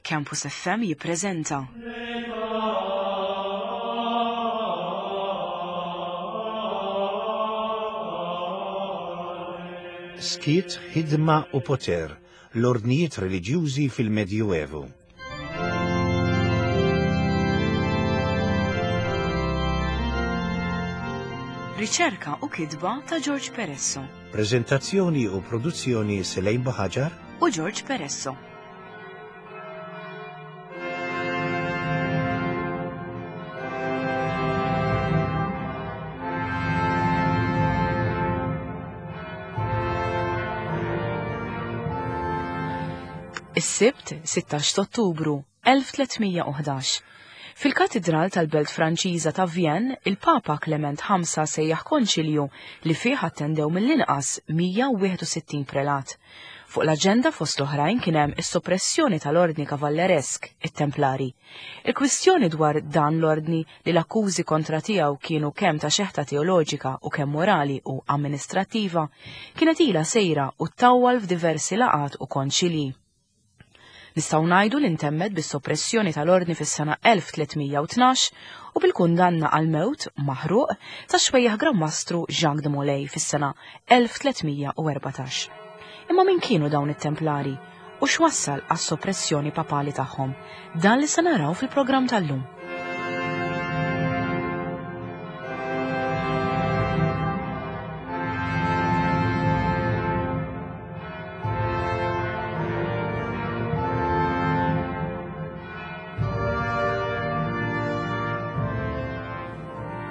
Campus FM jippreżenta. Skiet, ħidma u poter, l-ordnijiet reliġjużi fil-Medjuevu. Riċerka u kitba ta' George Peresso. Preżentazzjoni u produzzjoni Selejn Buħaġar u George Peresso. Is-Sibt, 16 Ottubru, 1311. Fil-Katidral tal-belt Franċiża ta' Vienne, il-Papa Klement V sejjaħ konċilju li fih attendew mill-inqas 161 prelat. Fuq l-aġenda fost l-oħrajn kien hemm is-soppressjoni tal-Ordni Kavalleresk, it-Templari. Il-kwistjoni dwar dan l-ordni li l-akkużi kontra tiegħu kienu kemm ta' xeħta teoloġika u kemm morali u amministrattiva, kienet ilha sejra u ttawwal f'diversi laqgħat u konċilji. Nistgħu ngħidu li ntemmet bis-soppressjoni tal-Ordni fis-sena 1312 u bil-kundanna għall-mewt, maħruq, tax-xwejjaħ Gran Mastru Jacques de Molay fis-sena 1314. Imma min kienu dawn it-Templari u x'wassal għas-soppressjoni papali tagħhom? Dan li se naraw fil-programm tal-lum.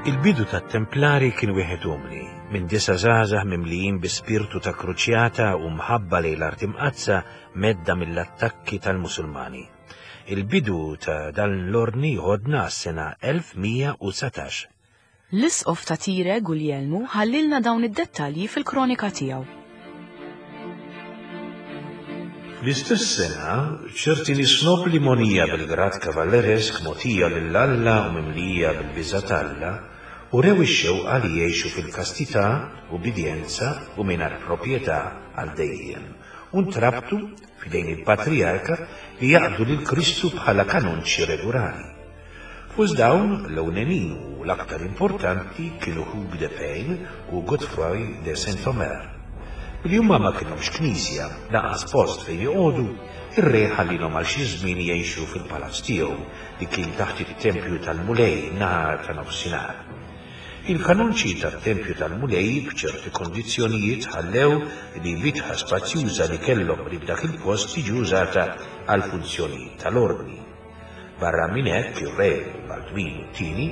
Il-bidu tat-Templari kien wieħed umli, minn disa żgħażagħ mimlijin bi spirtu ta' kruċjata u mħabba lejn l-Art Imqaddsa medda mill-attakki tal-Musulmani. Il-bidu ta' dan l-ordni jħodna għas-sena 1119. L-Isqof ta' Tire, Guljelmu, ħallielna dawn id-dettalji fil-kronika tiegħu. Fl-istess sena, ċerti nies nobbli mogħnija bil-grad kavalleresk mogħtija lil Alla u mimlija bil-biża' t'Alla, urew ix-xewqa li jgħixu fil-kastità, ubbidjenza u mingħajr proprjetà għal dejjem, u ntrabtu, f'idejn il-patrijarka, li jaqdu lil Kristu bħala kanonċi regulari. Fost dawn, l-ewlenin u l-aktar importanti kienu Hugues de Payne u Godefroy de Saint-Omer. Billi huma ma kellhomx knisja, lanqas post fejn joqogħdu, ir-re ħallielhom għal xi żmien jgħixu fil-palazz tiegħu li kien taħt it-tempju tal-Mulej in-naħa ta' nofsinhar. Il-kanonċi tat-tempju tal-Mulej b'ċerti kondizzjonijiet ħallew li bitħa spazjuża li kellhom qrib dak il-post tiġi użata għall-funzjonijiet tal-ordni. Barra minn hekk, ir-re Baldwinu t-Tieni,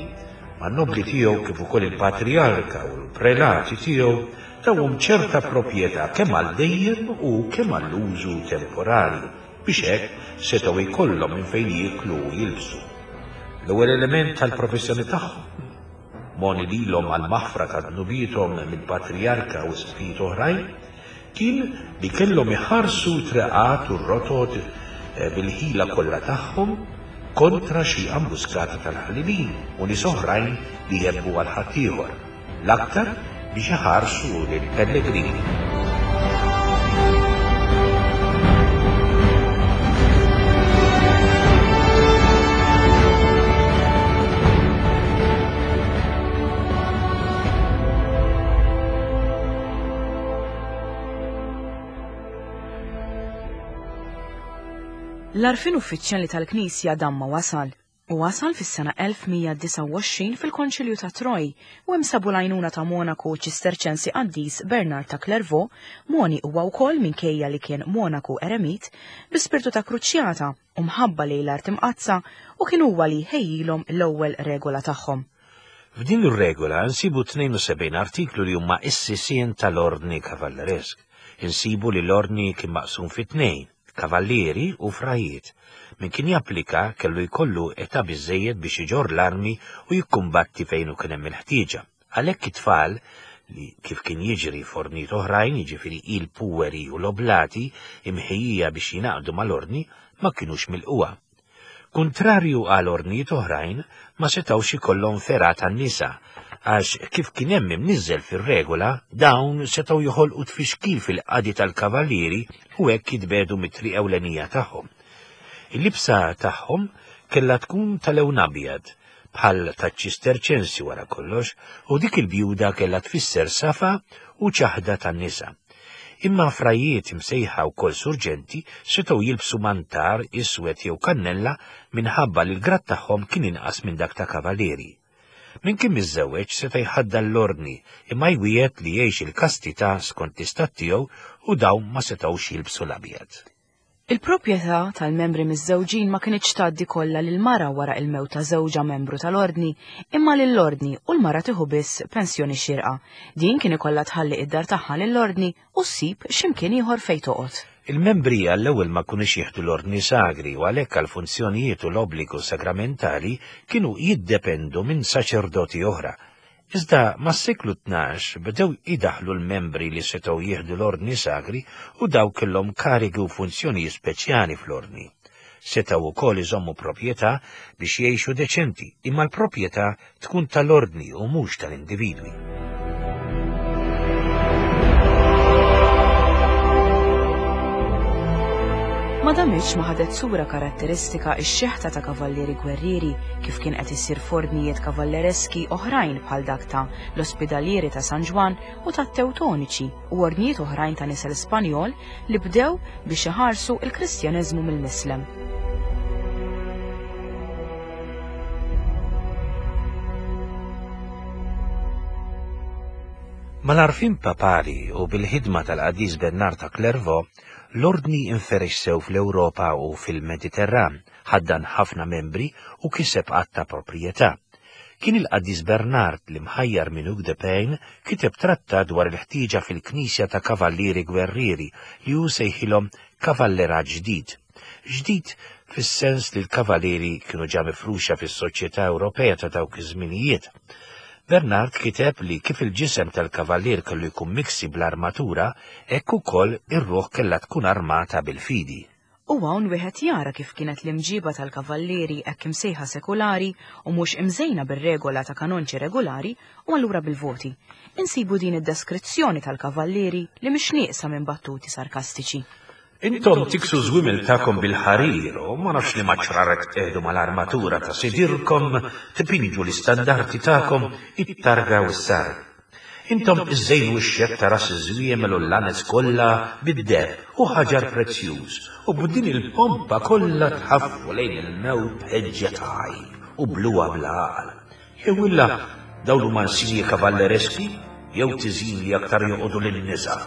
man-nobbli tiegħu kif ukoll il-patrijarka u l-prelati tiegħu tawhom ċerta proprjetà kemm għal dejjem u kemm għall-użu temporanju biex hekk setgħu jkollhom minn fejn jieklu u jilbsu. L-ewwel element tal-professjoni tagħhom, mogħni lilhom għall-maħfra ta' dnubiethom mill-patrijarka u isqfijiet oħrajn, Kien li kellhom iħarsu t-treqat u r-rotot bil-ħila kollha tagħhom kontra xi ambuskata tal-ħallelin u nies oħrajn li jhebbu għal ħaddieħor, l-aktar biex iħarsu lill-pellegrini. L-għarfien uffiċjali tal-Knisja dan ma wasal, u wasal fis-sena 1129 fil-Konċilju ta' Troy u hemm sabu l-għajnuna ta' monaku Ċisterċensi qaddis Bernard ta' Clairvaux, moni huwa wkoll minkejja li kien monaku eremit, bi spirtu ta' kruċjata u mħabba lejn l-Art Imqaddsa u kien huwa li ħejjilhom l-ewwel regola tagħhom. F'din ir-regola nsibu 72 artiklu li huma s-sisien tal-Ordni Kavalleresk. Insibu li l-Ordni kien maqsum fi tnejn, kavallieri u frajiet. Min kien japplika kellu jkollu età biżżejjed biex iġorr l-armi u jikkumbatti fejn u kien hemm il-ħtieġa. Għalhekk it-tfal, li kif kien jiġri f'ordnijiet oħrajn, jiġifieri il-puweri u l-oblati imħejjija biex jingħaqdu mal-Ordni, ma kinux milqugħa. Kuntrarju għal ordnijiet oħrajn, ma setgħux ikollhom fergħa tan-nisa, għax kif kien hemm imniżżel fir-regola, dawn setgħu joħolqu tfixkil fil-qadi tal-kavallieri u hekk jitbiegħdu mit-triq ewlenija tagħhom. Il-libsa tagħhom kellha tkun ta' lewn abjad, bħal taċ-Ċisterċensi wara kollox, u dik il-bjuda kellha tfisser safa u ċaħda tan-nisa. Imma frajiet imsejħa wkoll surġenti setgħu jilbsu mantar iswed jew kannella minħabba li l-grad tagħhom kien inqas minn dak ta' kavalieri. Min kien miżżewweġ seta' jħaddan l-ordni imma jwiegħed li jgħix il-kastità skont l-istat tiegħu u dawn ma setgħux jilbsu l-abjad. Il-proprjetà tal-membri miżżewġin ma kinitx tgħaddi kollha lill-mara wara il-mewt ta' żewġha membru tal-ordni, imma lill-ordni u l-mara tieħu biss pensjoni xierqa. Din kien ikollha tħalli id-dar tagħha lill-ordni u ssib x'imkien ieħor fejn toqgħod. Il-membri għall-ewwel ma kinux jieħdu l-ordni sagri u għalhekk għall-funzjonijiet u l-obbligu sagramentali kienu jiddependu minn saċerdoti oħra. Iżda mas-seklu 12 bdew idaħħlu l-membri li setgħu jieħdu l-ordni sagri u dawk kellhom karigi u funzjonijiet speċjali fl-ordni. Setgħu wkoll iżommu proprjetà biex jgħixu deċenti, imma l-proprjetà tkun tal-ordni u mhux tal-individwi. Ma damitx ma ħadet sura karatteristika x-xeħta ta' kavallieri gwerrieri kif kien qed isir f'ordnijiet kavallereski oħrajn bħal dak ta' l-Ospidalieri ta' San Ġwann u tat-Tewtoniċi u ordnijiet oħrajn ta' nisel Spanjol li bdew biex iħarsu il-Kristjaneżmu mill-Mislem. Mal-għarfien papali u bil-ħidma tal-Qaddis Bernard ta' Clairvaux, l-ordni inferex sew fl-Ewropa u fil-Mediterran, ħaddan ħafna membri u kiseb għadd ta' proprjetà. Kien il-Qaddis Bernard li mħajjar minn Hugues de Payne kiteb trattat dwar il-ħtieġa fil-Knisja ta' kavallieri gwerrieri li hu sejħilhom kavallerat ġdid. Ġdid fis-sens li l-kavalieri kienu ġa mifruxa fis-soċjetà Ewropea ta' dawk iż-żminijiet. Bernard kiteb li kif il-ġisem tal-kavallier kellu jkun miksi bl-armatura, hekk ukoll ir-ruħ kellha tkun armata bil-fidi. U hawn wieħed jara kif kienet l-imġiba tal-kavallieri hekk imsejħa sekulari u mhux imżejna bir-regola ta' kanonċi regolari u allura bil-voti. Insibu din id-deskrizzjoni tal-kavallieri li mhix nieqsa minn battuti sarkastiċi. Intom tiksu żwiemel tagħkom bil-ħarir u ma nafx liema ċraret tqiegħdu mal-armatura ta' sidirkom, tpinġu l-istandarti tagħkom, it-targa u s-sarg. Intom iżżejnu x-xedd ta' ras iż-żwiemel u l-lanez kollha bid-deheb u ħaġar prezzjuż, u b'din il-pompa kollha tħaffu lejn il-mewt b'ħeġġa ta' għajb u bluha bla għaqal. Jew illa dawn huma insinji kavallereski jew tiżjin li aktar joqogħdu lin-nisa.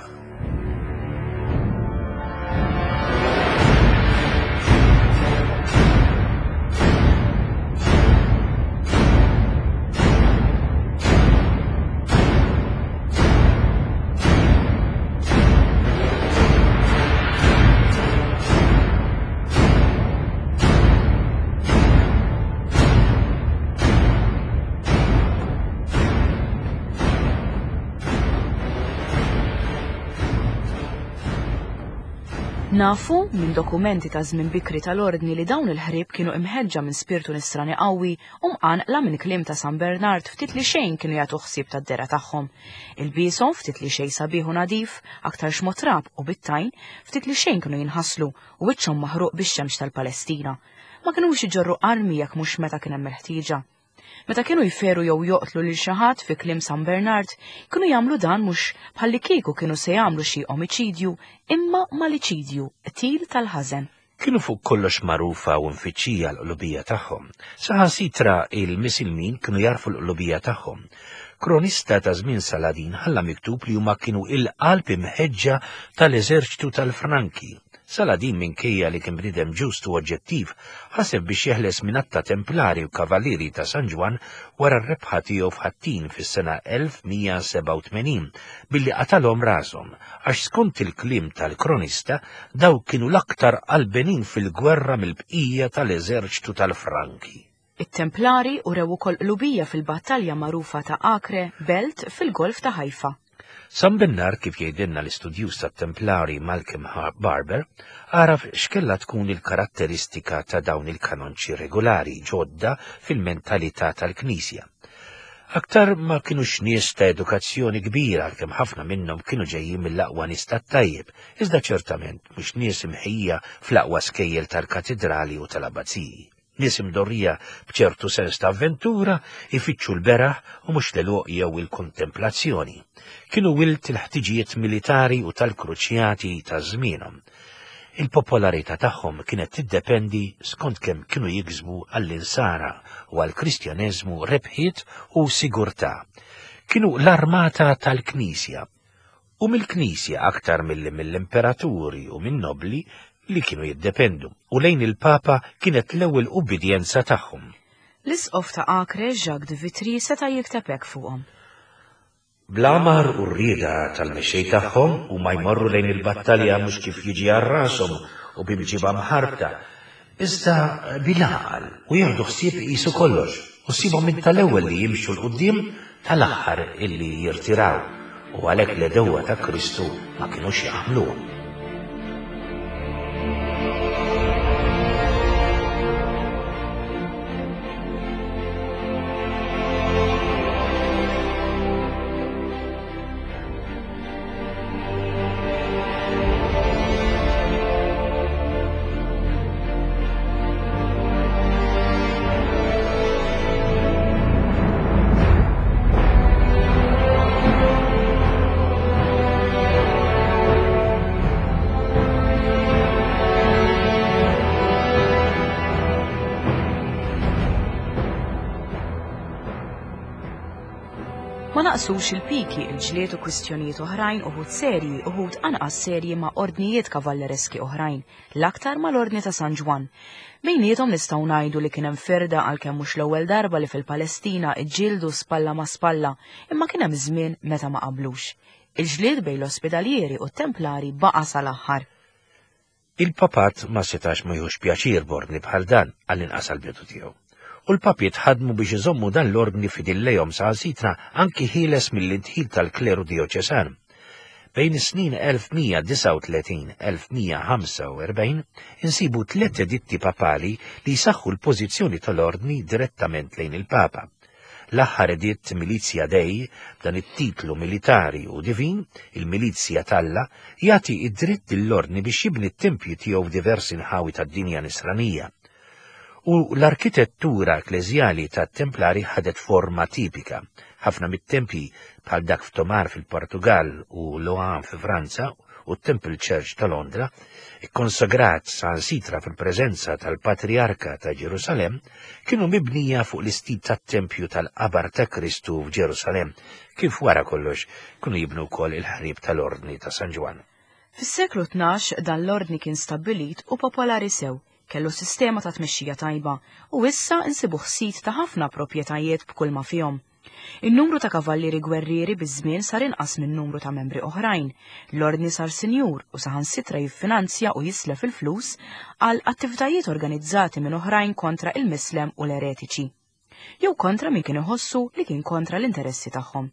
Nafu minn dokumenti ta' żmien bikri tal-Ordni li dawn il-ħrieb kienu imħeġġa minn spirtu nisrani qawwi u mqanqla minn kliem ta' San Bernard ftit li xejn kienu jagħtu ħsieb tad-dehra tagħhom. Ilbieshom ftit li xejn sabiħ u nadif, aktarx motrab u bit-tajn, ftit li xejn kienu jinħaslu u wiċċhom maħruq bix-xemx tal-Palestina. Ma kinux iġorru armi jekk mhux meta kien hemm il-ħtieġa. Meta kienu jferu jew joqtlu lil xi ħadd fi kliem San Bernard, kienu jagħmlu dan mhux bħallikieku kienu se jagħmlu xi omiċidju, imma maliċidju, qtil tal-ħażen. Kienu fuq kollox magħrufa u mfittxija l-qlubija tagħhom. Saħansitra il-Misilmin kienu jagħrfu l-qlubija tagħhom. Kronista ta' żmien Saladin ħalla miktub li huma kienu il-qalb imħeġġa tal-eżerċtu tal-Franki. Saladin minkejja li kien bniedem ġust u oġġettiv, ħaseb biex jeħles minn għadd ta' Templari u Kavalieri ta' San Ġwann wara r-rebħa tiegħu f'Ħattin fis-sena 1187 billi qatalhom rashom, għax skont il-kliem tal-kronista dawk kienu l-aktar qalbenin fil-gwerra mill-bqija tal-eżerċtu tal-Franki. It-Templari urew ukoll qlubija fil-battalja magħrufa ta' Acre, belt fil-Golf ta' Haifa. San Bernard, kif jgħidilna l-istudjuż tat-Templari Malcolm Barber, għaraf x'kellha tkun il-karatteristika ta' dawn il-kanonċi regolari ġodda fil-mentalità tal-Knisja. Aktar ma kinux nies ta' edukazzjoni kbira għalkemm ħafna minnhom kienu ġejjin mill-aqwa nies tat-tajjeb, iżda ċertament mhux nies imħejjija fl-aqwa skejjel tal-katidrali u tal-abbaziji. Nies imdorrija b'ċertu sens ta' avventura, ifittxu l-beraħ u mhux l-għeluq jew il-kontemplazzjoni. Kienu wild il-ħtiġijiet militari u tal-kruċjati ta' żmienhom. Il-popolarità tagħhom kienet tiddependi skont kemm kienu jiksbu għall-Insara u għall-Kristjaneżmu rebħiet u sigurtà. Kienu l-armata tal-Knisja, u mill-Knisja aktar milli mill-imperaturi u min-nobbli li kienu jiddependu, u lejn il-Papa kienet l-ewwel ubbidjenza tagħhom. L-Isqof ta' Acre, Jacques de Vitry, seta' jikteb hekk fuqhom. Bl-għamar u r-rieda tal-mexxej tagħhom, huma jmorru lejn il-battalja mhux kif jiġi għal rashom u bi mġiba mħarbta, iżda bil-għaqal, u jieħdu ħsieb iqisu kollox, u ssibhom minn tal-ewwel li jimxu 'l quddiem tal-aħħar illi jirtiraw, u għalhekk l-għedewwa ta' Kristu ma kinux jaħmluhom. Ma naqsux il-piki, il-ġlied u kwistjonijiet oħrajn uħud serji, uħud anqas serji ma' ordnijiet kavallereski oħrajn, l-aktar mal-Ordni ta' San Ġwann. Bejniethom nistgħu ngħidu li kien hemm firda għalkemm mhux l-ewwel darba li fil-Palestina ġġieldu spalla ma' spalla, imma kien hemm żmien meta ma qablux. Il-ġlied bejn l-Ospedalieri u t-Templari baqa' sal-aħħar. Il-Papat ma setax ma jieħux pjaċir b'ordni bħal dan, għall-inqas għall-bidu tiegħu. U l-Papiet ħadmu biex iżommu dan l-ordni fidil lejhom saħansitra anki ħieles mill-indħil tal-kleru dijoċesan. Bejn is-snin 1139-1145 insibu tliet editti papali li jsaħħu l-pożizzjoni tal-ordni direttament lejn il-Papa. L-aħħar editt Milizia Dei, b'dan it-titlu militari u divin, il-Milizja t'Alla, jagħti id-dritt lill-Ordni biex jibni t-tempji tiegħu f'diversi nħawi tad-dinja Nisranija. U l-arkitettura ekkleżjali tat-Templari ħadet forma tipika. Ħafna mit-tempji, bħal dak f'Tomar fil-Portugall u Loan fi Franza u t-Temple Church ta' Londra, ikkonsagrat saħansitra fil-preżenza tal-Patrijarka ta' Ġerusalemm, kienu mibnija fuq l-istil tat-tempju tal-qabar ta' Kristu f'Ġerusalemm, kif wara kollox kienu jibnu wkoll il-ħrieb tal-Ordni ta' San Ġwann. Fis-seklu 12 dan l-ordni kien stabbilit u popolari sew, kellu sistema ta' tmexxija tajba u issa nsibuh sid ta' ħafna proprjetajiet b'kulma fihom. In-numru ta' kavallieri gwerrieri biż-żmien sar inqas min-numru ta' membri oħrajn. L-Ordni sar sinjur u saħansitra jiffinanzja u jislef il-flus għal attivitajiet organizzati minn oħrajn kontra il-Mislem u l-eretiċi. Jew kontra min kien iħossu li kien kontra l-interessi tagħhom.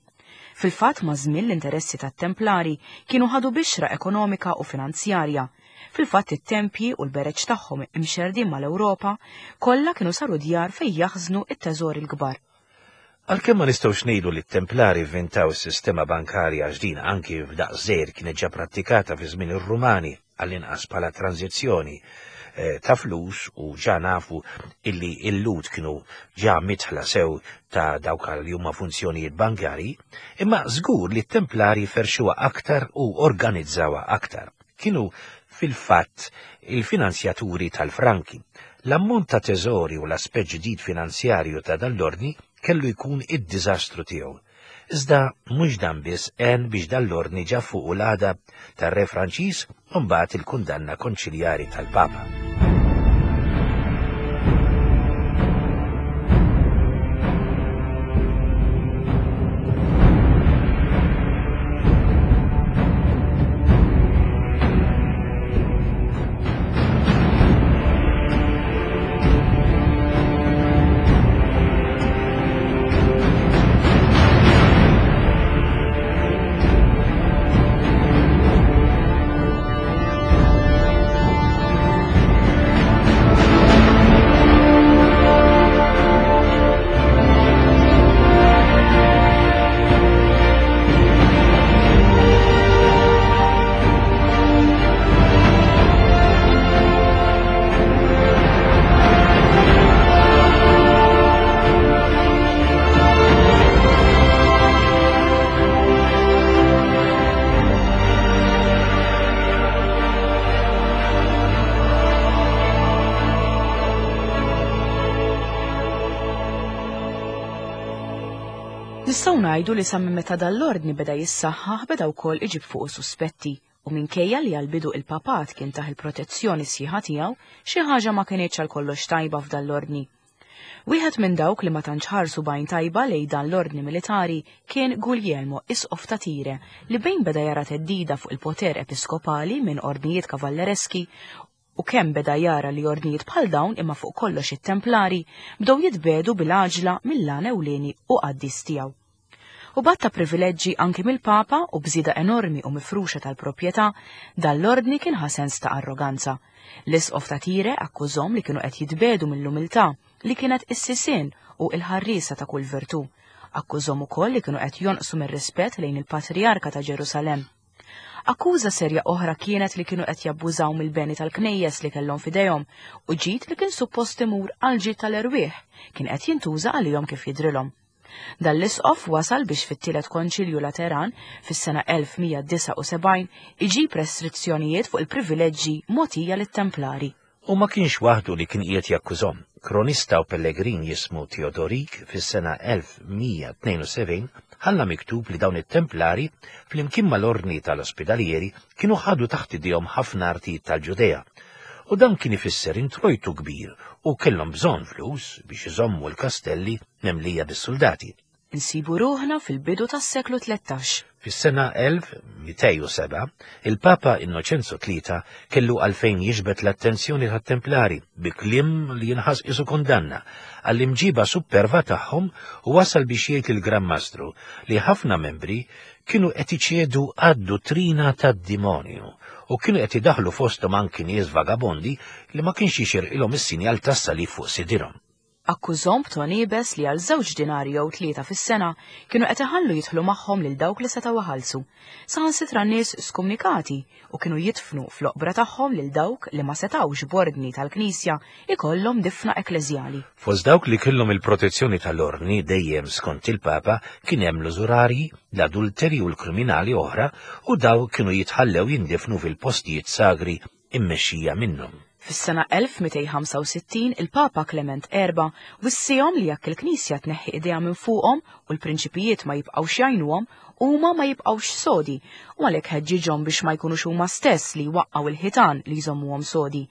Fil-fatt maż-żmien l-interessi tat-Templari kienu ħadu bixra ekonomika u finanzjarja. Fil-fatt it-tempji u l-bereġ tagħhom imxerrdin mal-Ewropa kollha kienu saru djar fejn jaħżnu t-teżori l-kbar. Għalkemm ma nistgħux ngħidu li t-Templari vvintaw is-sistema bankarja għax din anki f'daqs żgħir kienet ġa prattikata fi żmien ir-Rumani, għall-inqas bħala tranżizzjoni eh, ta' flus u ġa nafu illi l-Lhud kienu ġa mitħla sew ta' dawk li huma funzjonijiet bankarji, imma żgur li t-Templari ferxuha aktar u organizzawha aktar. Kienu fil-fatt il-finanzjaturi tal-franki. L-ammont ta' teżori u l-aspett ġdid finanzjarju ta' dan l-ordni kellu jkun id-diżastru tiegħu. Iżda mhux dan biss għen biex dan l-ordni ġab fuqu l-għadab tar-Re Franċiż u mbagħad il-kundanna konċiljari tal-Papa. Nistgħu ngħidu li sa minn meta dan l-ordni beda jissaħħaħ beda wkoll iġib fuqu suspetti u minkejja li għall-bidu il-papat kien tah il-protezzjoni sħiħa tiegħu, xi ħaġa ma kinitx għal kollox tajba f'dan l-ordni. Wieħed minn dawk li ma tantx ħarsu b'għajn tajba lejn dan l-ordni militari kien Guglielmo, isqof ta' Tire, li bejn beda jara theddida fuq il-poter episkopali minn ordnijiet kavallereski u kemm beda jara li ordnijiet bħal dawn imma fuq kollox it-Templari bdew jitbiegħdu bil-għaġla mill-għan ewlieni u qaddis tiegħu. U b'għadd ta' privileġġi anki mill-Papa u b'żieda enormi u mifruxa tal-proprjetà, dan l-ordni kien ħa sens ta' arroganza. L-Isqof ta' Tire akkużhom li kienu qed jitbiegħdu mill-umiltà, li kienet is-sisien u l-ħarriesa ta' kull virtù. Akkużhom ukoll li kienu qed jonqsu mir-rispett lejn il-Patrijarka ta' Ġerusalemm. Akkuża serja oħra kienet li kienu qed jabbużaw mill-beni tal-knejjes li kellhom f'idejhom u ġid li kien suppost imur għall-ġid tal-erwieħ kien qed jintuża għalihom kif jidhrilhom. Dan l-isqof wasal biex fit-Tielet Konċilju Lateran fis-sena 1179 iġib restrizzjonijiet fuq il-privileġġi mogħtija lit-Templari. U ma kienx waħdu li kien qiegħed jakkużhom. Kronista u pellegrin jismu Teodorik fis-sena 1172 ħalla miktub li dawn it-Templari flimkien mal-Ordni tal-Ospidalieri kienu ħadu taħt idejhom ħafna artijiet tal-Ġudea. U dan kien ifisser introjtu kbir u kellhom bżonn flus biex iżommu l-kastelli mimlija bis-suldati. Insibu ruħna fil-bidu tas-seklu 13. Fis-sena 1207, il-Papa Innoċenzo Tlieta kellu għalfejn jiġbed l-attenzjoni tat-Templari bi kliem li jinħass qisu kundanna għall-imġiba supperva tagħhom u wasal biex jgħid lill-Gran Mastru li ħafna membri kienu qed iċedu għad-duttrina tad-dimonju u kienu qed idaħħlu fosthom anki nies vagabondi li ma kienx jixirqilhom is-sinjal tas-salib fuq sidirhom. Akkużhom b'ton iebes li għal żewġ dinari jew tlieta fis-sena kienu qed iħallu jidħlu magħhom lil dawk li setgħu iħallsu, saħansitra nies skumnikati u kienu jidfnu fl-oqbra tagħhom lil dawk li ma setgħux b'ordni tal-Knisja jkollhom difna ekkleżjali. Fost dawk li kellhom il-protezzjoni tal-Ordni dejjem skont il-Papa kien hemm l-użurarji, l-adulteri u l-kriminali oħra u dawk kienu jitħallew jindifnu fil-postijiet sagri immexxija minnhom. Fis-sena 1265 il-Papa Klement Erba' wissihom li jekk il-Knisja tneħħi idejha minn fuqhom u l-prinċipijiet ma jibqgħux jgħinuhom, huma ma jibqgħux sodi u għalhekk ħeġġiġhom biex ma jkunux huma stess li jwaqqgħu l-ħitan li jżommuhom sodi.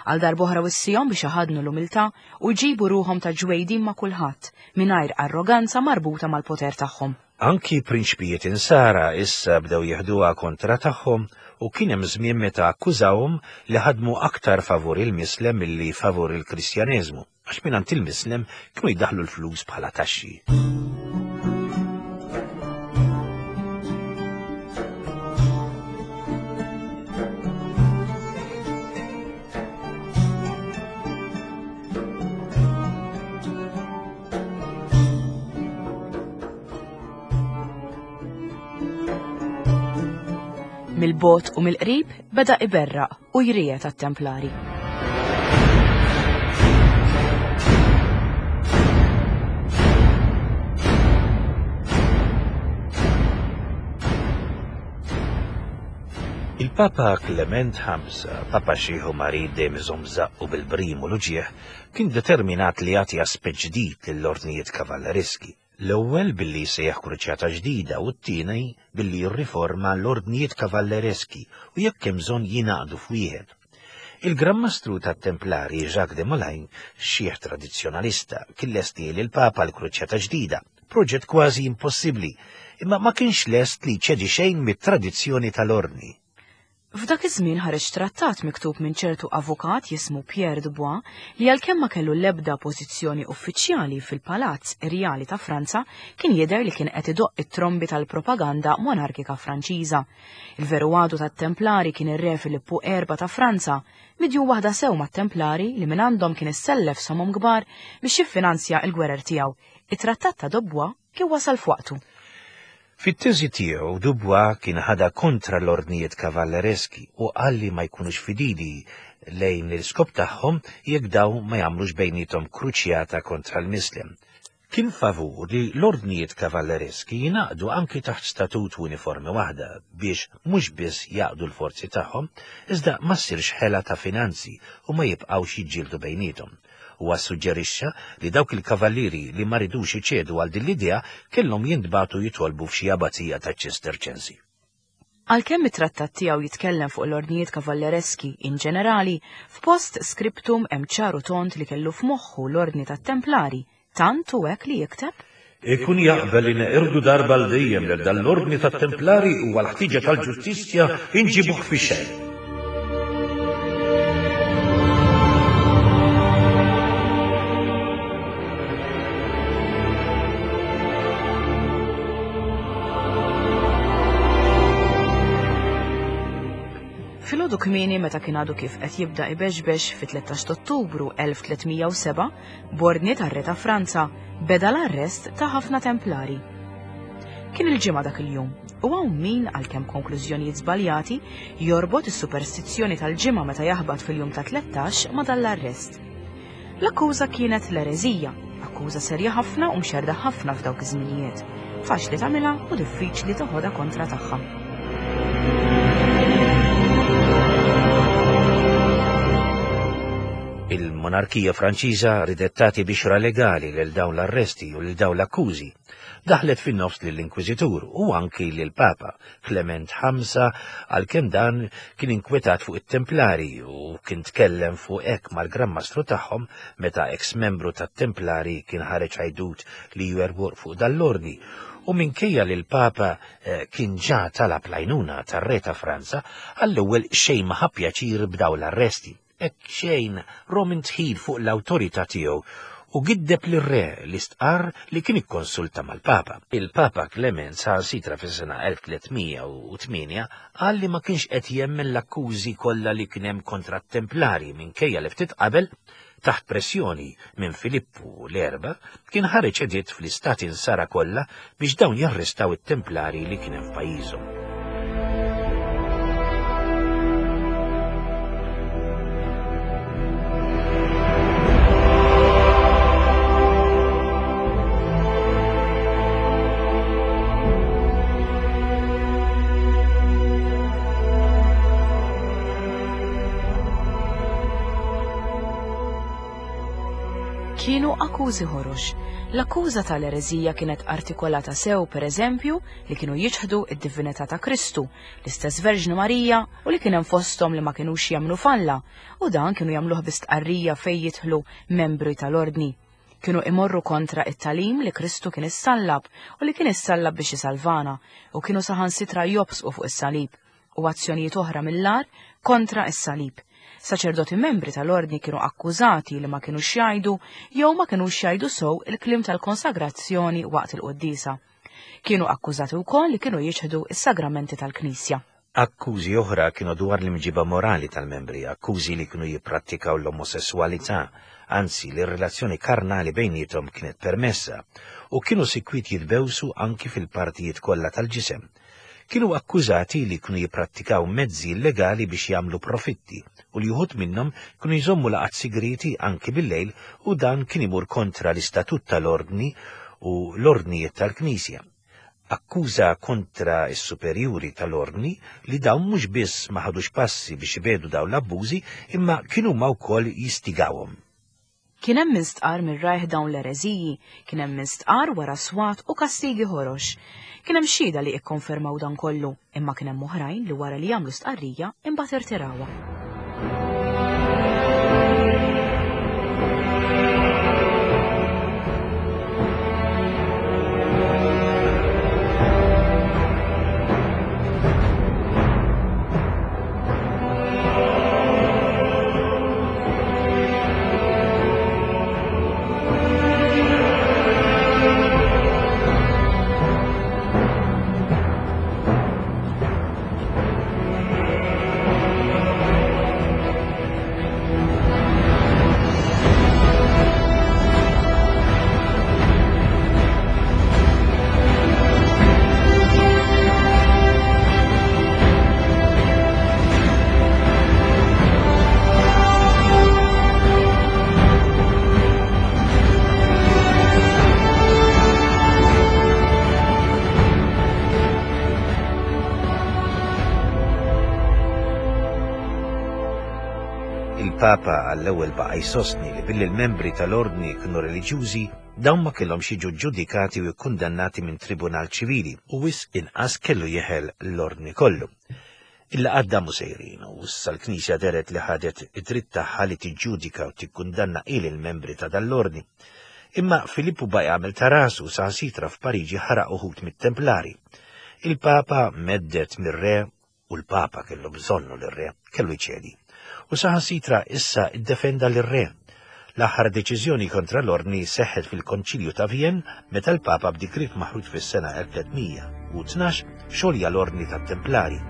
Għal darb'oħra wissihom biex iħaddnu l-umiltà u jġibu ruħhom ta' ġwejdin ma' kulħadd, mingħajr arroganza marbuta mal-poter tagħhom. Anki prinċpijiet Insara issa bdew jeħduha kontra tagħhom u kien hemm żmien meta akkużawhom li ħadmu aktar favur il-mislem milli favur il-Kristjaneżmu, għax mingħand il-mislem kienu jdaħħlu l-flus bħala taxxi. Mill-bogħod u mill-qrib beda iberraq u jriegħed għat-Templari. Il-Papa Klement Ħamsa, Papa xiħ u marid dejjem iżomm żaqqu bil-brim u l-uġigħ, Kien determinat li jagħti aspett ġdid lill-ordnijiet kavallereski, l-ewwel billi jsejjaħ kruċjata ġdida u t-tieni billi jirriforma l-ordnijiet kavallereski u jekk hemm bżonn jingħaqdu f'wieħed. Il-Gran Mastru tat-Templari Jacques de Molay, xiħ tradizzjonalista, kien lest li lill-Papa l-kruċjata ġdida, proġett kważi impossibbli, imma ma kienx lest li jċedi xejn mit-tradizzjoni tal-ordni. F'dak iż-żmien ħareġ trattat miktub minn ċertu avukat jismu Pierre Dubois li għalkemm ma kellu l-ebda pożizzjoni uffiċjali fil-Palazz Irjali ta' Franza kien jidher li kien qed idoqq it-trombi tal-propaganda monarkika Franċiża. Il-veru għadu tat-Templari kien ir-Re Filippu Erba' ta' Franza, midjun waħda sew mat-Templari li mingħandhom kien issellef somom kbar biex jiffinanzja l-gwerer tiegħu. It-trattat ta' Dubois kien wasal f'waqtu. Fit-teżi tiegħu, Dubois kien ħadha kontra l-ordnijiet kavallereski u qal li ma jkunux fidili lejn l-iskop tagħhom jekk dawn ma jagħmlux bejniethom kruċjata kontra l-Mislem. Kien favur li l-ordnijiet kavallereski jingħaqdu anki taħt statut u uniformi waħda biex mhux biss jgħaqqdu l-forzi tagħhom, iżda ma ssirx ħela ta' finanzi u ma jibqgħux jiġġieldu bejniethom. Huwa ssuġġerixxa li dawk il-kavallieri li ma ridux iċedu għal din l-idea kellhom jintbagħtu jitolbu f'xi abazija taċ-Ċisterċensi. Għalkemm it-trattat tiegħu jitkellem fuq l-ordnijiet kavallereski in ġenerali, f'post scriptum hemm ċar u tond li kellu f'moħħu l-Ordni tat-Templari, tant hu hekk li jikteb. Ikun jaqbel li neqirdu darba għal dejjem lil dan l-Ordni tat-Templari u għall-ħtieġa tal-ġustizzja inġibuh fix-xejn. Filgħodu kmieni meta kien għadu kif qed jibda ibeġbex fit-13 Ottubru 1307, b'ordni tar-Re ta' Franza, beda l-arrest ta' ħafna Templari. Kien il-Ġimgħa dak il-jum, u hawn min, għalkemm konklużjonijiet żbaljati, jorbot is-superstizzjoni tal-Ġimgħa meta jaħbat fil-jum ta' 13 ma' dan l-arrest. L-akkuża kienet l-ereżija, akkuża serja ħafna u mxerrda ħafna f'dawk iż-żminijiet. Faċli tagħmilha u diffiċli toħodha kontra tagħha. Il-monarkija Franċiża ridet tagħti bixra legali lil dawn l-arresti u lil dawn l-akkużi. Daħlet fin-nofs lill-Inkwiżitur u anki lill-Papa, Klement Ħamsa, għalkemm dan kien inkwetat fuq it-Templari u kien tkellem fuq hekk mal-Gran Mastru tagħhom meta eks membru tat-Templari kien ħareġ għajdut li jwerwor fuq dan l-ordni u minkejja li l-Papa eh, kien ġa talab l-għajnuna tar-Re ta' Franza, għall-ewwel xejn ma ħa pjaċir b'dawn l-arresti. Hekk xejn rom indħil fuq l-awtorità tiegħu u giddeb lir-re li stqarr li kien ikkonsulta mal-Papa. Il-Papa Klement saħansitra fis-sena 1308 qal li ma kienx qed jemmen l-akkużi kollha li kien hemm kontra t-Templari minkejja li ftit qabel, taħt pressjoni minn Filippu l-Erba', kien ħareġ editt fl-istati Nsara kollha biex dawn jarrestaw it-Templari li kien hemm f'pajjiżhom. Kienu akkużi ħorox. L-akkuża tal-ereżija kienet artikolata sew, per eżempju, li kienu jiċħdu id-divinità ta' Kristu, l-istess Verġni Marija u li kien hemm fosthom li ma kinux jemmnu f'Alla, u dan kienu jagħmluh bi stqarrija fejn jidħlu membri tal-ordni. Kienu imorru kontra it-tagħlim li Kristu kien issallab u li kien issallab biex isalvana, u kienu saħansitra jobsqu fuq is-salib. u azzjonijiet oħra mill-agħar kontra s-salib. Saċerdoti membri tal-ordni kienu akkużati li ma kinux jgħidu jew ma kinux jgħidu sew il-kliem tal-konsagrazzjoni waqt il-quddiesa. Kienu akkużati wkoll li kienu jiċħdu s-sagramenti tal-Knisja. Akkużi oħra kienu dwar l-imġiba morali tal-membri, akkużi li kienu jipprattikaw l-omosesswalità, anzi li r-relazzjoni karnali bejniethom kienet permessa, u kienu sikwit jitbewsu anki fil-partijiet kollha tal-ġisem. kienu akkużati li kienu jipprattikaw mezzi illegali biex jagħmlu profitti u li uħud minnhom kienu jżommu laqgħat sigrieti anki bil-lejl u dan kien imur kontra l-istatut tal-Ordni u l-ordnijiet tal-Knisja. Akkuża kontra s-superjuri tal-Ordni li dawn mhux biss ma ħadux passi biex ibiegħdu dawn l-abbużi imma kienu huma wkoll jistigawhom. Kien hemm min stqarr minn rajh dawn l-ereżiji, kien hemm min stqarr wara swat u kastigi ħorox. Kien hemm xhieda li ikkonfermaw dan kollu, imma kien hemm oħrajn li wara li għamlu stqarrija imbagħad irtirawha. Il-Papa għall-ewwel baqa' jsostni li billi l-membri tal-Ordni kienu reliġjużi, dawn ma kellhomx jiġu ġġudikati u kkundannati minn tribunal ċivili u wisq inqas kellu jeħel l-Ordni kollu. Il-laqgħat damu sejrin u issa l-Knisja dehret li ħadet id-dritt tagħha li tiġġudika u tikkundanna hi lill-membri ta' dan l-Ordni. Imma Filippu baqa' jagħmel ta' rasu saħansitra f'Pariġi ħaraq uħud mit-Templari. Il-Papa medded mir-re u l-Papa kellu bżonnu lir-re, kellu jċedi. U saħansitra issa iddefenda lir-re. L-aħħar deċiżjoni kontra l-Ordni seħħet fil-Konċilju ta' Vienne meta l-Papa b'digriet maħruġ fis-sena 1312 xolja l-Ordni tat-Templari.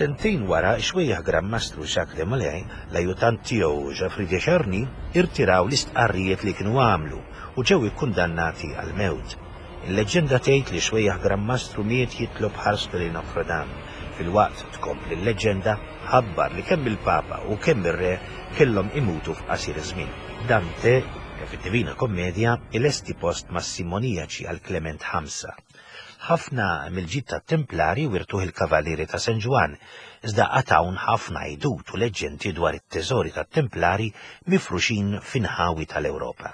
Sentejn wara, ix-xwejjaħ Gran Mastru Jacques de Molay, l-ajjutant tiegħu Geoffrey de Charny irtiraw l-istqarrijiet li kienu għamlu u ġew ikkundannati għall-mewt. Il-leġġenda tgħid li x-xwejjaħ Gran Mastru miet jitlob ħarstu lejn Notre Dame, filwaqt, tkompli l-leġġenda, ħabbar li kemm il-Papa u kemm ir-Re kellhom imutu f'qasir żmien. Dante, fid-Divina Commedia, ilesti post mas-Simoniaċi għal Klement Ħamsa. Ħafna mill-ġid tat-Templari wirtuh il-Kavallieri ta' San Ġwann, iżda għad hawn ħafna għidut u leġġendi dwar it-teżori tat-Templari mifruxin f'inħawi tal-Ewropa.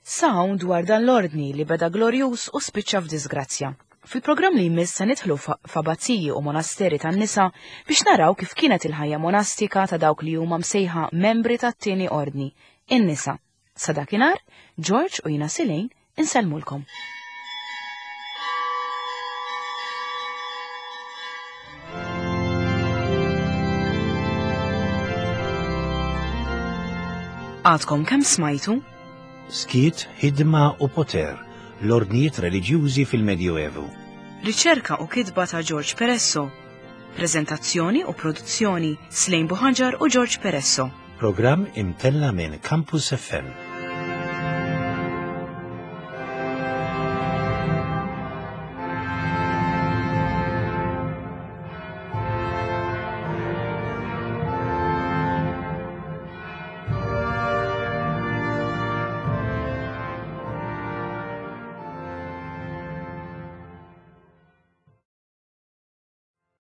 Sa hawn dwar dan l-ordni li beda glorjuż u spiċċa f'diżgrazzja. Fil-programm li jmiss se nidħlu f'abbaziji u monasteri tan-nisa biex naraw kif kienet il-ħajja monastika ta' dawk li huma msejħa membri tat-tieni ordni, in-nisa. Sa dakinhar, George u jiena Silejn insellmulkom. Għadkom kemm smajtu? Skiet, ħidma u poter, l-ordnijiet reliġjużi fil-Medjuevu. Riċerka u kitba ta' George Peresso. Preżentazzjoni u produzzjoni Slejn Buħaġar u George Peresso. Programm imtella' minn Campus FM.